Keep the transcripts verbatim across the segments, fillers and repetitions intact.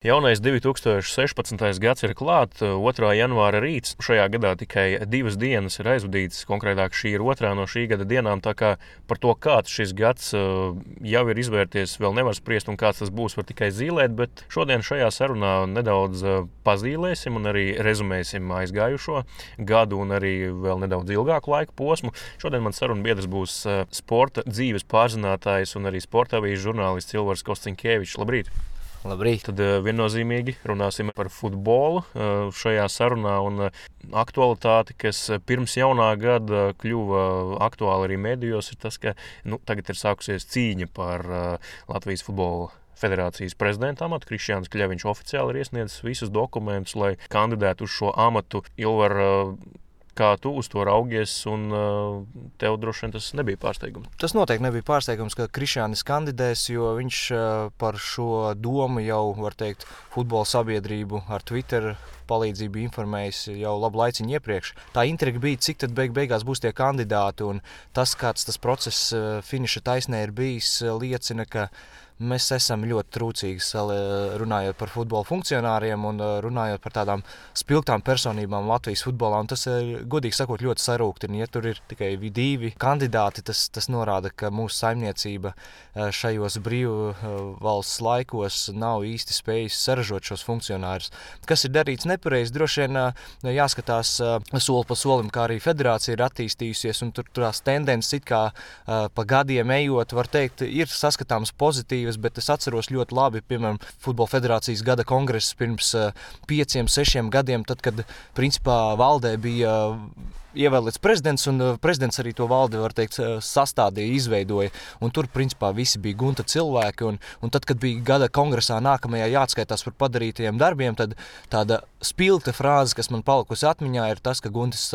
Jaunais divi tūkstoši sešpadsmitais gads ir klāt, otrā janvāra rīts. Šajā gadā tikai divas dienas ir aizvadītas, konkrētāk šī ir otrā no šī gada dienām, tā kā par to, kāds šis gads jau ir izvērties, vēl nevar spriest, un kāds tas būs, var tikai zīlēt, bet šodien šajā sarunā nedaudz pazīlēsim un arī rezumēsim aizgājušo gadu un arī vēl nedaudz ilgāku laiku posmu. Šodien man saruna biedrs būs sporta dzīves pārzinātājs un arī sporta avīžu žurnālists Ilvars Kosciņkevičs. Labrīt! Labrīt. Tad viennozīmīgi runāsim par futbolu šajā sarunā un aktualitāti, kas pirms jaunā gada kļuva aktuāli arī medijos, ir tas, ka nu, tagad ir sākusies cīņa par Latvijas futbola federācijas prezidenta amatu. Krišjāns Kļaviņš oficiāli ir iesniedzis visus dokumentus, lai kandidētu uz šo amatu. Ilvar, kā tu uz to raugies, un tev droši vien tas nebija pārsteigums? Tas noteikti nebija pārsteigums, ka Krišjānis kandidēs, jo viņš par šo domu jau, var teikt, futbola sabiedrību ar Twitter palīdzību informējis jau labu laiciņu iepriekš. Tā intriga bija, cik tad beig beigās būs tie kandidāti, un tas, kāds tas process finiša taisnē ir bijis, liecina, ka mēs esam ļoti trūcīgi runājot par futbola funkcionāriem un runājot par tādām spilgtām personībām Latvijas futbolā. Un tas, godīgi sakot, ļoti sarūktina. Ja tur ir tikai divi kandidāti, tas, tas norāda, ka mūsu saimniecība šajos brīvu valsts laikos nav īsti spējusi saražot šos funkcionārus. Kas ir darīts nepareizi, droši vien jāskatās soli pa solim, kā arī federācija ir attīstījusies, un tur tās tendences it kā pa gadiem ejot, var teikt, ir saskatāms pozitīvi. Bet es atceros ļoti labi, piemēram, Futbola federācijas gada kongresus pirms pieciem, sešiem gadiem, tad, kad principā valdē bija ievēlēts prezidents, un prezidents arī to valdi, var teikt, sastādīja, izveidoja, un tur, principā, visi bija gunta cilvēki, un, un tad, kad bija gada kongresā nākamajā jāatskaitās par padarītajiem darbiem, tad tāda spilgta frāze, kas man palikusi atmiņā, ir tas, ka Guntis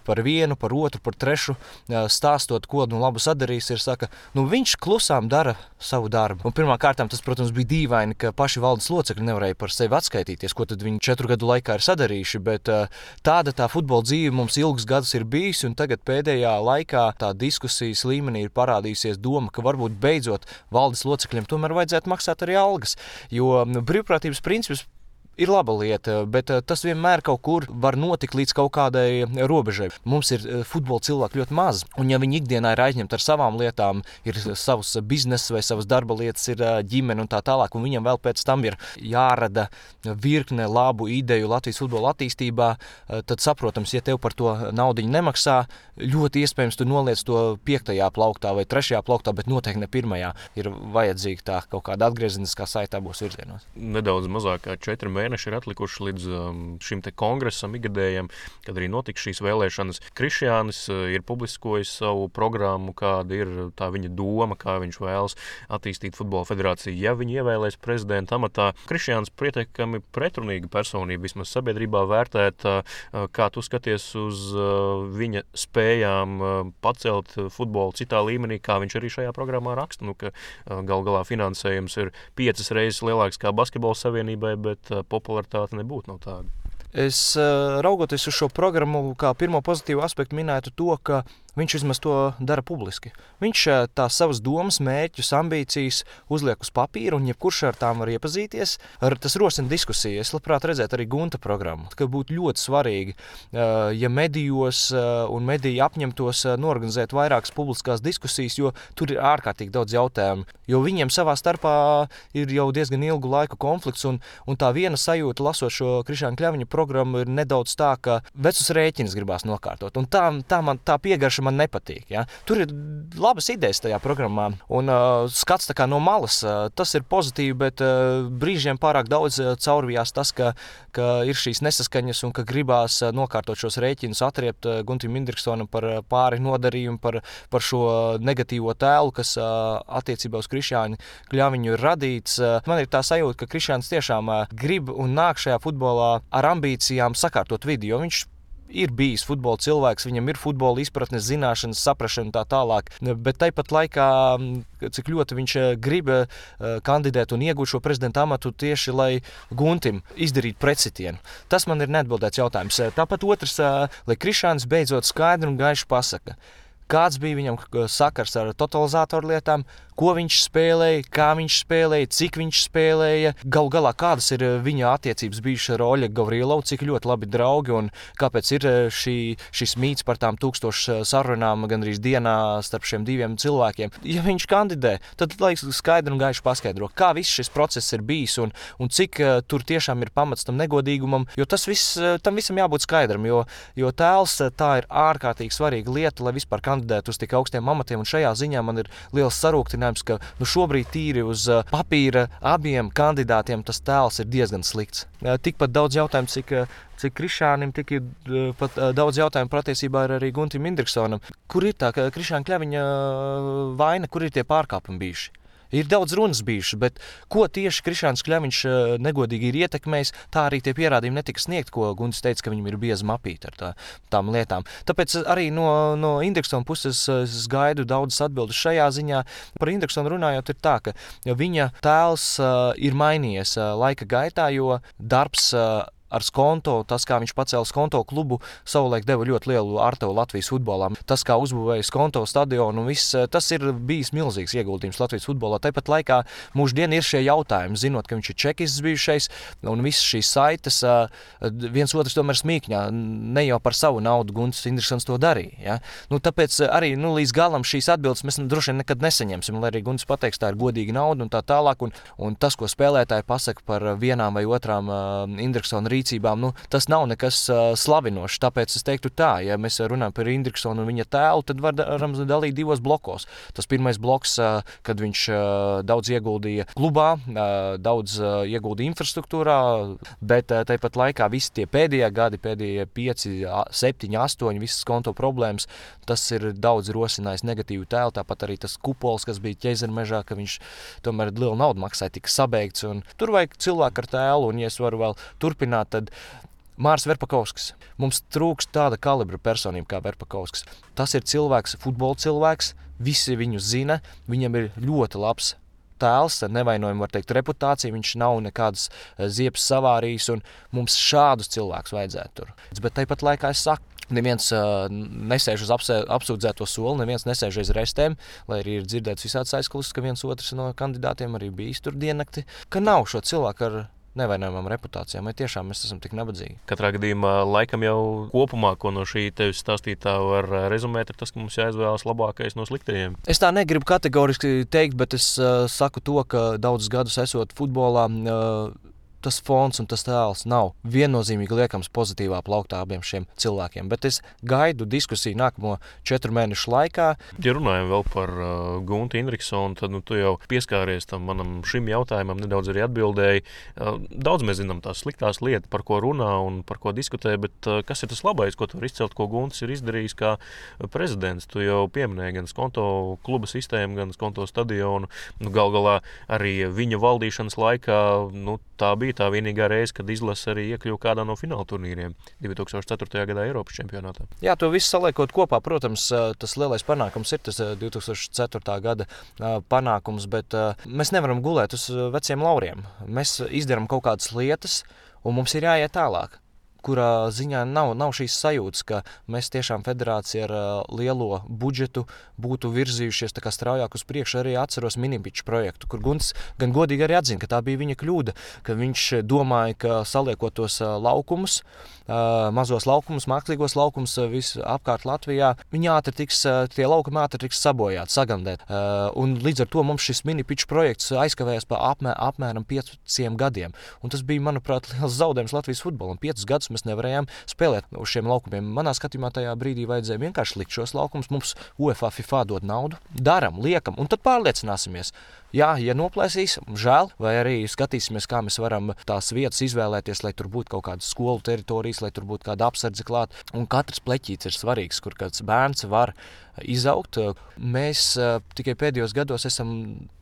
par vienu, par otru, par trešu stāstot, ko nu labu sadarīs, ir saka, nu viņš klusām dara savu darbu. Un pirmā kārtām tas, protams, bija dīvaini, ka paši valdes locekļi nevarēja par sevi atskaitīties, ko tad viņi četru gadu laikā ir sadarījuši, bet tāda tā futbola dzīve mums ilgs gadus ir bijis, un tagad pēdējā laikā tā diskusijas līmenī ir parādījusies doma, ka varbūt beidzot valdes locekļiem tomēr vajadzētu maksāt arī algas, jo brīvprātības princips ir laba lieta, bet tas vienmēr kaut kur var notikt līdz kaut kādai robežai. Mums ir futbola cilvēki ļoti maz, un ja viņi ikdienā ir aizņemti ar savām lietām, ir savs bizness vai savas darba lietas, ir ģimene un tā tālāk, un viņam vēl pēc tam ir jārada virkne labu ideju Latvijas futbola attīstībā, tad saprotams, ja tev par to naudiņu nemaksā, ļoti iespējams tu noliec to piektajā plauktā vai trešajā plauktā, bet noteikti ne pirmajā. Ir vajadzīga tā kaut kāda atgriezeniskā saite abos virzienos. Nedaudz mazāk kā četri mēneši ir atlikuši līdz um, šim te kongresam ikgadējam, kad arī notiks šīs vēlēšanas. Krišjānis uh, ir publiskojis savu programmu, kāda ir tā viņa doma, kā viņš vēlas attīstīt futbola federāciju, ja viņi ievēlēs prezidenta amatā. Krišjānis pietiekami pretrunīga personība, vismaz sabiedrībā vērtēta, uh, kā tu skaties uz uh, viņa spējām uh, pacelt futbolu citā līmenī, kā viņš arī šajā programmā raksta, nu, ka uh, gal galā finansējums ir piecas reizes lielāks kā basketbola savienībai, bet uh, popularitāte nebūtu nav tāda. Es raugoties uz šo programmu, kā pirmo pozitīvu aspektu minētu to, ka viņš vismaz to dara publiski. Viņš tās savas domas, mērķus, ambīcijas uzliek uz papīra, un jebkurš ar tām var iepazīties. Ar, tas rosina diskusiju. Es labprāt redzētu arī Gunta programmu, ka būtu ļoti svarīgi, ja medijos un mediji apņemtos norganizēt vairākas publiskās diskusijas, jo tur ir ārkārtīgi daudz jautājumu. Jo viņiem savā starpā ir jau diezgan ilgu laiku konflikts, un, un tā viena sajūta, lasot šo Krišjāna Kļaviņa programmu, ir nedaudz tā, ka vecus rēķinus gribās nokārtot. Un tā, tā, man, tā piegarša man nepatīk. Ja? Tur ir labas idejas tajā programmā, un uh, skats tā kā no malas, uh, tas ir pozitīvi, bet uh, brīžiem pārāk daudz uh, caurvijās tas, ka, ka ir šīs nesaskaņas un ka gribās uh, nokārtot šos rēķinus, atriept uh, Guntim Indriksonam par uh, pāri nodarījumu, par, par šo negatīvo tēlu, kas uh, attiecībā uz Krišjānu Kļaviņu ir radīts. Uh, man ir tā sajūta, ka Krišjāns tiešām uh, grib un nāk šajā futbolā ar ambīcijām sakārtot vidi, jo viņš ir bijis futbola cilvēks, viņam ir futbola izpratnes, zināšanas, saprašana un tā tālāk, bet tāpat laikā, cik ļoti viņš grib kandidēt un iegūt šo prezidenta amatu tieši, lai Guntim izdarītu pretsitienu. Tas man ir neatbildēts jautājums. Tāpat otrs, lai Krišjāns beidzot skaidri un gaiši pasaka, kāds bija viņam sakars ar totalizātoru lietām, ko viņš spēlēja, kā viņš spēlēja, cik viņš spēlēja. Galu galā, kādas ir viņa attiecības bijušas ar Oļegu Gavrilovu, cik ļoti labi draugi un kāpēc ir šī, šis mīts par tām tūkstošu sarunām gandrīz dienā starp šiem diviem cilvēkiem. Ja viņš kandidē, tad lai skaidri un gaiši paskaidro, kā viss šis process ir bijis un, un cik uh, tur tiešām ir pamats tam negodīgumam, jo tas viss, uh, tam visam jābūt skaidram, jo, jo tēls uh, tā ir ārkārtīgi svarīga lieta, lai vispār kandidētu uz tik augstiem amatiem, un šajā ziņā man ir liels sarūktinājums, ka nu, šobrīd tīri uz uh, papīra abiem kandidātiem tas tēls ir diezgan slikts. Uh, tikpat daudz jautājumu, cik, uh, cik Krišānim, tik ir uh, pat uh, daudz jautājumu patiesībā ir arī Guntim Indriksonam. Kur ir tā Krišāna Kļaviņa uh, vaina, kur ir tie pārkāpumi bijuši? Ir daudz runas bijušas, bet ko tieši Krišāns Kļaviņš negodīgi ir ietekmējis, tā arī tie pierādījumi netika sniegt, ko Guntis teica, ka viņam ir bieza mapīte ar tā, tām lietām. Tāpēc arī no, no Indriksona puses es gaidu daudzas atbildes šajā ziņā. Par Indriksonu runājot ir tā, ka viņa tēls ir mainījies laika gaitā, jo darbs ar Skonto, tas, kā viņš pacēla Skonto klubu, savulaik deva ļoti lielu artavu Latvijas futbolā. Tas, kā uzbūvēja Skonto stadionu, un viss, tas ir bijis milzīgs ieguldījums Latvijas futbolā. Tāpat laikā mūždien ir šie jautājumi, zinot, ka viņš ir čekis bijušais, un visas šīs saites, viens otrs tomēr smīkņā, ne jau par savu naudu Guntis Indriksons to darīja. Ja? Nu, tāpēc arī nu, līdz galam šīs atbildes mēs droši vien nekad nesaņemsim, lai arī Guntis pateiks, tā ir godīga nauda un tā tālāk, un, un tas, ko spēlētāji pasaka par vienām vai otrām uh, Indriksona rīcībām, nu, tas nav nekas uh, slavinošs, tāpēc es teiktu tā, ja mēs runājam par Indriksonu un viņa tēlu, tad varam dalīt divos blokos. Tas pirmais bloks, uh, kad viņš uh, daudz ieguldīja klubā, uh, daudz uh, ieguldīja infrastruktūrā, bet uh, tāpat laikā visi tie pēdējie gadi, pēdējie pieci, septiņi, astoņi, visas Skonto problēmas, tas ir daudz rosinājis negatīvu tēlu, tāpat arī tas kupols, kas bija Ķezermežā, ka viņš tomēr lielu naudu maksāja, tika sabeigts, un tur vajag cilvēku ar tēlu, un ja es varu vēl turpināt, tad Māris Verpakovskis. Mums trūkst tāda kalibra personība kā Verpakovskis. Tas ir cilvēks, futbola cilvēks, visi viņu zina, viņam ir ļoti labs tēls, ar nevainojumu var teikt reputāciju, viņš nav nekādas ziepes savārījis, un mums šādus cilvēkus vajadzētu tur. Bet tāpat laikā es saku, neviens uh, nesēž uz apsē, apsūdzēto soli, neviens nesēž aiz restēm, lai arī ir dzirdēts visāds aizklausas, ka viens otrs no kandidātiem arī bijis tur diennakti, ka nav šo cilvēku ar nevainojamām reputācijām, vai tiešām mēs esam tik nabadzīgi. Katrā gadījumā laikam jau kopumā, ko no šī tevis stāstītā var rezumēt, ir tas, ka mums jāizvēlas labākais no sliktajiem. Es tā negribu kategoriski teikt, bet es uh, saku to, ka daudzus gadus esot futbolā, uh, tas fons un tas tēls nav viennozīmīgi liekams pozitīvā plauktā abiem šiem cilvēkiem, bet es gaidu diskusiju nākamo četru mēnešu laikā. Ja runājam vēl par uh, Guntu Indriksonu, tad nu, tu jau pieskāries tam manam šim jautājumam, nedaudz arī atbildēji. Uh, daudz mēs zinām tās sliktās lietas, par ko runā un par ko diskutē, bet uh, kas ir tas labais, ko tu var izcelt, ko Guntis ir izdarījis kā prezidents? Tu jau pieminēji gan Skonto kluba sistēmu, gan Skonto stadionu. Nu, gal galā arī viņa valdīšanas laikā nu, tā bija tā vienīgā reize, kad izlase arī iekļuva kādā no fināla turnīriem divi tūkstoši ceturtajā gadā Eiropas čempionātā. Jā, to visu saliekot kopā, protams, tas lielais panākums ir tas divi tūkstoši ceturtā gada panākums, bet mēs nevaram gulēt uz veciem lauriem. Mēs izdarām kaut kādas lietas, un mums ir jāiet tālāk, kurā ziņā nav, nav šīs sajūtas, ka mēs tiešām federācija ar uh, lielo budžetu būtu virzījušies tā kā straujāk uz priekšu. Arī atceros Minipiču projektu, kur Guntis gan godīgi arī atzina, ka tā bija viņa kļūda, ka viņš domāja, ka saliekot tos uh, laukumus, uh, mazos laukumus, mākslīgos laukumus uh, visu apkārt Latvijā, viņi ātri tiks, uh, tie laukumi ātri tiks sabojāti, sagandēt. Uh, un līdz ar to mums šis Minipiču projekts aizkavējās pa apmē, apmēram pieciem gadiem. Un tas bija, manuprāt, liels zaudējums Latvijas futbolam. Piecus gadus mēs nevarējām spēlēt uz šiem laukumiem. Manā skatījumā tajā brīdī vajadzēja vienkārši likt šos laukumus, mums UEFA, FIFA dod naudu, daram, liekam, un tad pārliecināsimies. Jā, ja noplēsīs, žēl, vai arī skatīsimies, kā mēs varam tās vietas izvēlēties, lai tur būtu kaut kādas skolu teritorijas, lai tur būtu kāda apsardze klāt. Un katrs pleķīts ir svarīgs, kur kāds bērns var izaugt. Mēs uh, tikai pēdējos gados esam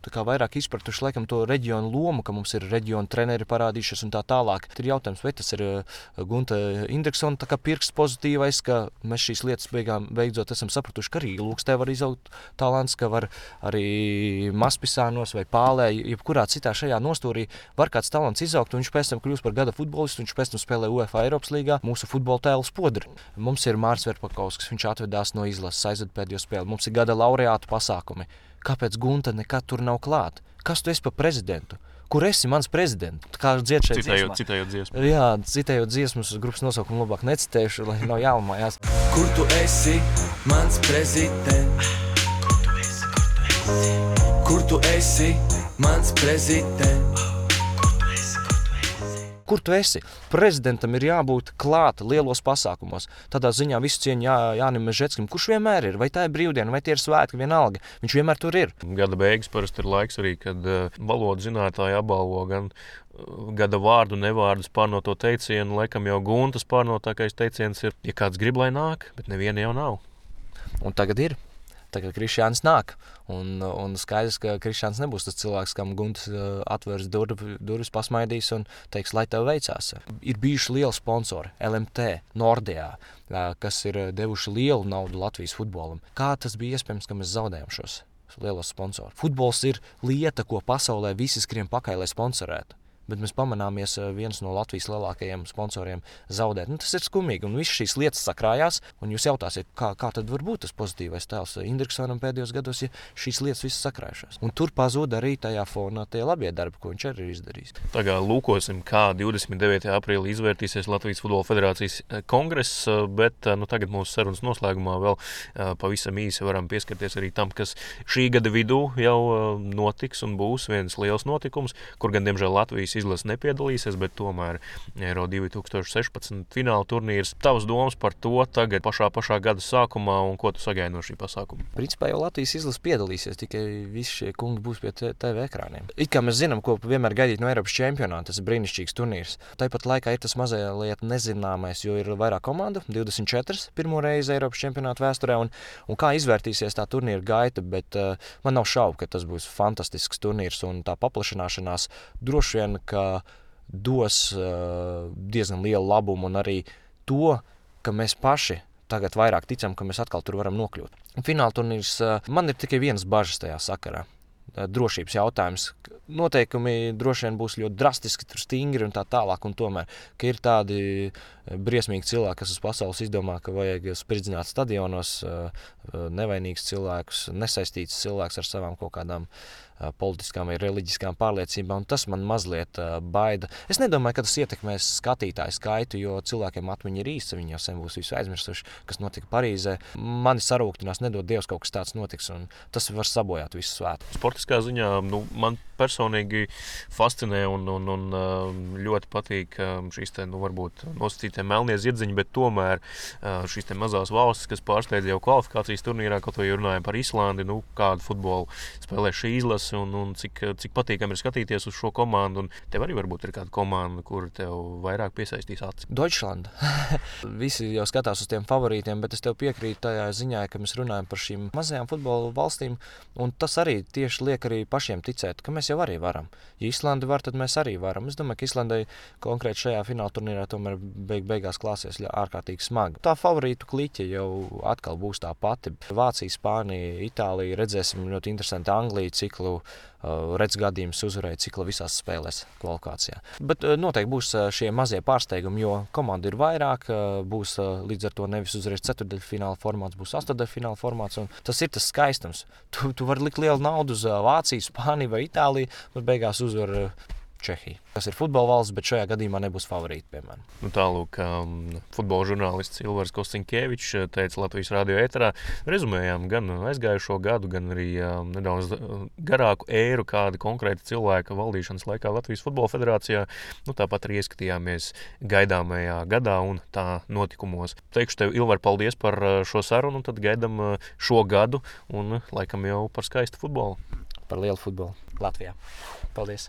tā kā vairāk izpratuši laikam to reģionu lomu, ka mums ir reģionu treneri parādījušies un tā tālāk. Tad ir jautājums, vai tas ir uh, Gunta Indriksona tā kā pirksts pozitīvais, ka mēs šīs lietas beigām, beidzot esam sapratuši, ka arī Lūkstē var izaugt talants, ka var arī Maspisānos vai Pālē, jebkurā citā šajā nostūrī var kāds talants izaugt, un viņš pēc tam kļūst par gada futbolistu, viņš pēc tam spēlē UEFA Eiropas līgā, mūsu futbola tēlu spodri. Mums ir Māris Verpakovskis, viņš atvedās no izlases, aizved pēdējo spēli. Mums ir gada laureātu pasākumi. kāpēc Gunta nekad tur nav klāt? Kas tu esi par prezidentu? Kur esi mans prezidents? Kā dzied šeit Citējot, citējot dziesmu. Jā, citējot dziesmas, grupas nosaukumu labāk necitējuši, lai nav jālamājās. Kur tu esi mans prezidents? Kur tu esi, kur tu esi? Kur tu esi mans prezidents? Kur tu esi? Prezidentam ir jābūt klāt lielos pasākumos. Tādā ziņā visu cieņu Jā, Jānim Mežetskim, kurš vienmēr ir, vai tā ir brīvdiena, vai tie ir svētki, vienalga. Viņš vienmēr tur ir. Gada beigas parasti ir laiks arī, kad uh, valodu zinātāji apbalvo gan uh, gada vārdu, nevārdus pārnoto teicienu. Laikam jau Guntas pārnotākais teiciens ir, ja kāds grib, lai nāk, bet neviena jau nav. Un tagad ir. Tagad Krišjāns nāk, un, un skaidrs, ka Krišjāns nebūs tas cilvēks, kam Guntas atvērs dur, durvis, pasmaidīs un teiks, lai tev veicās. Ir bijuši lieli sponsori, L M T, Nordea, kas ir devuši lielu naudu Latvijas futbolam. Kā tas bija iespējams, ka mēs zaudējam šos lielos sponsorus? Futbols ir lieta, ko pasaulē visi skrien pakaļ, lai sponsorētu. Bet mēs pamanāmies viens no Latvijas lielākajiem sponsoriem zaudēt. Nu, tas ir skumīgi, un visas šīs lietas sakrājās, un jūs jautāsiet, kā, kā tad var būt tas pozitīvais tēls Indriksonam pēdējos gados, ja šīs lietas visas sakrājušās. Un tur pazūd arī tajā fonā tie labie darbi, ko viņš arī ir izdarījis. Tagad lūkosim, kā divdesmit devītajā aprīlī izvērtīsies Latvijas Futbola Federācijas kongress, bet nu, tagad mūsu sarunas noslēgumā vēl pavisam īsi varam pieskarties arī tam, kas šī gada vidū jau notiks un būs viens liels notikums, kur gan, diemžēl, Latvijas izlase nepiedalīsies, bet tomēr Eiro divi tūkstoši sešpadsmit fināla turnīrs. Tavas domas par to tagad pašā pašā gada sākumā un ko tu sagaidi no šī pasākuma? Principā jau Latvijas izlase piedalīsies, tikai visi šie kungi būs pie T V ekrāniem. It kā mēs zinām, ko vienmēr gaidīt no Eiropas čempionāta, tas ir brīnišķīgs turnīrs. Tāpat laikā ir tas mazliet nezināmais, jo ir vairāk komandu, divdesmit četras pirmo reizi Eiropas čempionāta vēsturē, un, un kā izvērtīsies tā turnīra gaita, bet uh, man nav šaubu, ka tas būs fantastisks turnīrs, un tā paplašanāšanās droši vien ka dos uh, diezgan lielu labumu un arī to, ka mēs paši tagad vairāk ticam, ka mēs atkal tur varam nokļūt. Fināla turnīrs, uh, man ir tikai viens bažas tajā sakarā. Uh, drošības jautājums. Noteikumi droši vien būs ļoti drastiski, tur stingri un tā tālāk, un tomēr, ka ir tādi briesmīgi cilvēki, kas uz pasaules izdomā, ka vajag spridzināt stadionos uh, nevainīgus cilvēkus, nesaistītus cilvēkus ar savām kaut kādām politiskām vai reliģiskām pārliecībām, un tas man mazliet uh, baida. Es nedomāju, ka tas ietekmēs skatītāju skaitu, jo cilvēkiem atmiņa ir īsta, viņi jau sen būs visu aizmirsuši, kas notika Parīzē. Mani sarūktinās, nedod Dievs, kaut kas tāds notiks, un tas var sabojāt visu svētu. Sportiskā ziņā nu, man personīgi fascinē un, un, un ļoti patīk šīs te, nu, varbūt nosacītie melnie zirdziņi, bet tomēr šīs te mazās valstis, kas pārsteidz jau kvalifikācijas turnīrā, kaut vai runājam par Islandi, nu, kādu futbolu spēlē šī izlase, un, un cik, cik patīkami ir skatīties uz šo komandu, un tev arī varbūt ir kāda komanda, kur tev vairāk piesaistīs acis. Deutschland. Visi jau skatās uz tiem favorītiem, bet es tev piekrītu tajā ziņā, ka mēs runājam par šīm mazajām futbola valstīm, un tas arī tieši liek arī pašiem ticēt, ka mēs jau arī varam. Ja Islandi var, tad mēs arī varam. Es domāju, ka Islandai konkrēti šajā fināla turnīrā tomēr beig beigās klāsies ārkārtīgi smagi. Tā favorītu kliķe jau atkal būs tā pati. Vācija, Spānija, Itālija, redzēsim ļoti interesanti Angliju ciklu, redz gadījumus uzvarēja cikla visās spēlēs kvalifikācijā. Bet noteikti būs šie mazie pārsteigumi, jo komanda ir vairāk, būs līdz ar to nevis uzreiz ceturdaļfināla formāts, būs astodaļfināla formāts, un tas ir tas skaistums. Tu, tu vari likt lielu naudu uz Vāciju, Spāniju vai Itāliju, bet beigās uzvar Čehija, kas ir futbola valsts, bet šajā gadījumā nebūs favorīti, piemēram. Nu, tālūk, um, futbola žurnālists Ilvars Kostiņkevičs teica Latvijas radio ēterā, rezumējām gan aizgājušo gadu, gan arī um, nedaudz garāku ēru, kāda konkrēta cilvēka valdīšanas laikā Latvijas Futbola Federācijā. Nu, tāpat arī ieskatījāmies gaidāmajā gadā un tā notikumos. Teikšu tev, Ilvar, paldies par šo sarunu, un tad gaidam šo gadu un laikam jau par skaistu futbolu. Par lielu futbolu Latvijā. Paldies!